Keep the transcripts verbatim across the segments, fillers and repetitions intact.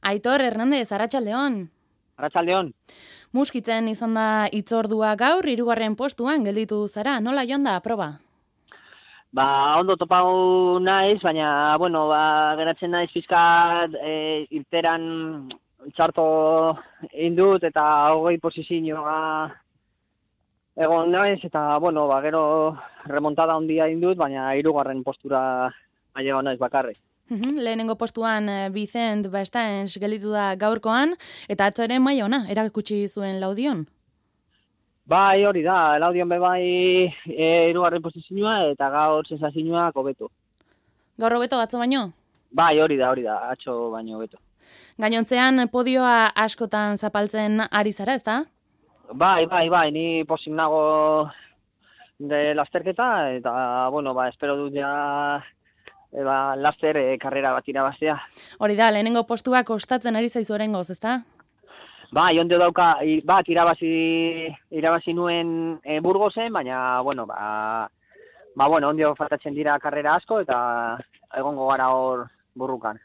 Aitor Hernandez, arratsaldeon. Arratsaldeon. Muskitzen izan da hitzordua gaur, hirugarren postuan gelditu zara. Nola joan da proba? Ba, ondo topau naiz, baina, bueno, ba, geratzen naiz pizkat e, irteran txarto indut eta hogei posizioa egon naiz, eta, bueno, ba, gero remontada handia indut, baina hirugarren postura ailegatu naiz bakarrik. Uhum, lehenengo postuan eh, Vicent Bastaens gelditu da gaurkoan, eta atzo ere maila ona, erakutsi zuen Laudion. Bai, hori da, Laudion be bai e, hirugarren posizioa eta gaur sensazioa hobeto. Gaur hobeto atzo baino? Bai, hori da, hori da, atzo baino hobeto. Gainontzean podioa askotan zapaltzen ari zara, ezta? Bai, bai, bai, ni pozik nago de lasterketa, eta, bueno, ba, espero dut ja, e, ba, laster e, karrera bat irabaztea. Hori da, lehenengo postua kostatzen ari zaizu oraingoz, ezta? Bai, ondo dauka, i, bat irabazi, irabazi nuen e, Burgosen, baina, bueno, ba, ba, bueno, ondio faltatzen dira karrera asko, eta egongo gara hor burrukan.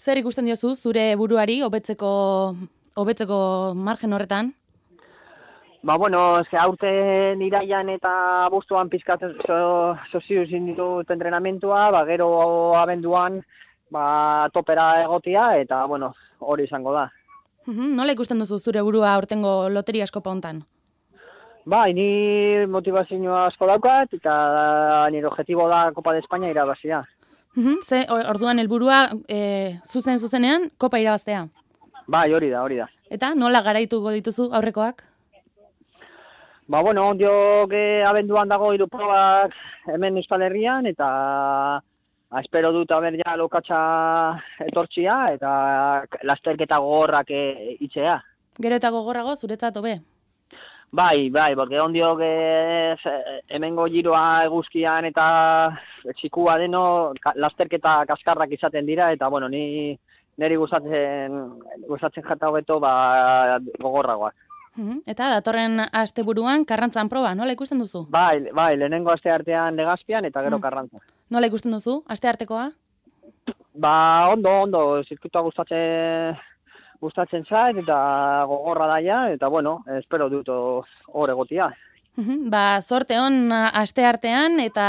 Zer ikusten diozu zure buruari hobetzeko hobetzeko margen horretan? Ba, bueno, eske aurten iraian eta abuztuan pizkat so, sozio ezin ditut entrenamentua, ba, gero abenduan ba, topera egotia, eta, bueno, hori izango da. Uhum, nola ikusten duzu zure burua aurtengo loteria eskopa hontan? Bai, ni motivazioa asko daukat, eta nire objetibo da Copa de España irabazia. Uhum, ze orduan helburua e, zuzen zuzenean kopa irabaztea. Bai, hori da, hori da. Eta nola garaituko dituzu aurrekoak? Ba, bueno, ondiok eh, abenduan dago hiru probak hemen Euskal Herrian, eta ba, espero dut haber ja lokatza etortzia, eta lasterketa gogorrak e, itxea. Gero eta gogorrago zuretzat hobe? Bai, bai, porque ondiok eh, hemengo giroa eguzkian eta txikua deno, ka, lasterketa kaskarrak izaten dira, eta, bueno, ni niri gustatzen, gustatzen jata hobeto ba, gogorragoak. Uhum, eta datorren asteburuan Karrantzan proba, nola ikusten duzu? Bai, bai, lehenengo aste artean Legazpian eta gero mm. Karrantza. Nola ikusten duzu, aste artekoa? Ba, ondo, ondo, zirkuitoa gustatzen, gustatzen zait eta gogorra daia, eta bueno, espero dut hor egotia. Uhum, ba, zorte hon aste artean, eta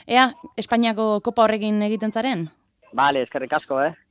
ea, Espainiako kopa horrekin egiten zaren? Bale, eskerrik asko, eh?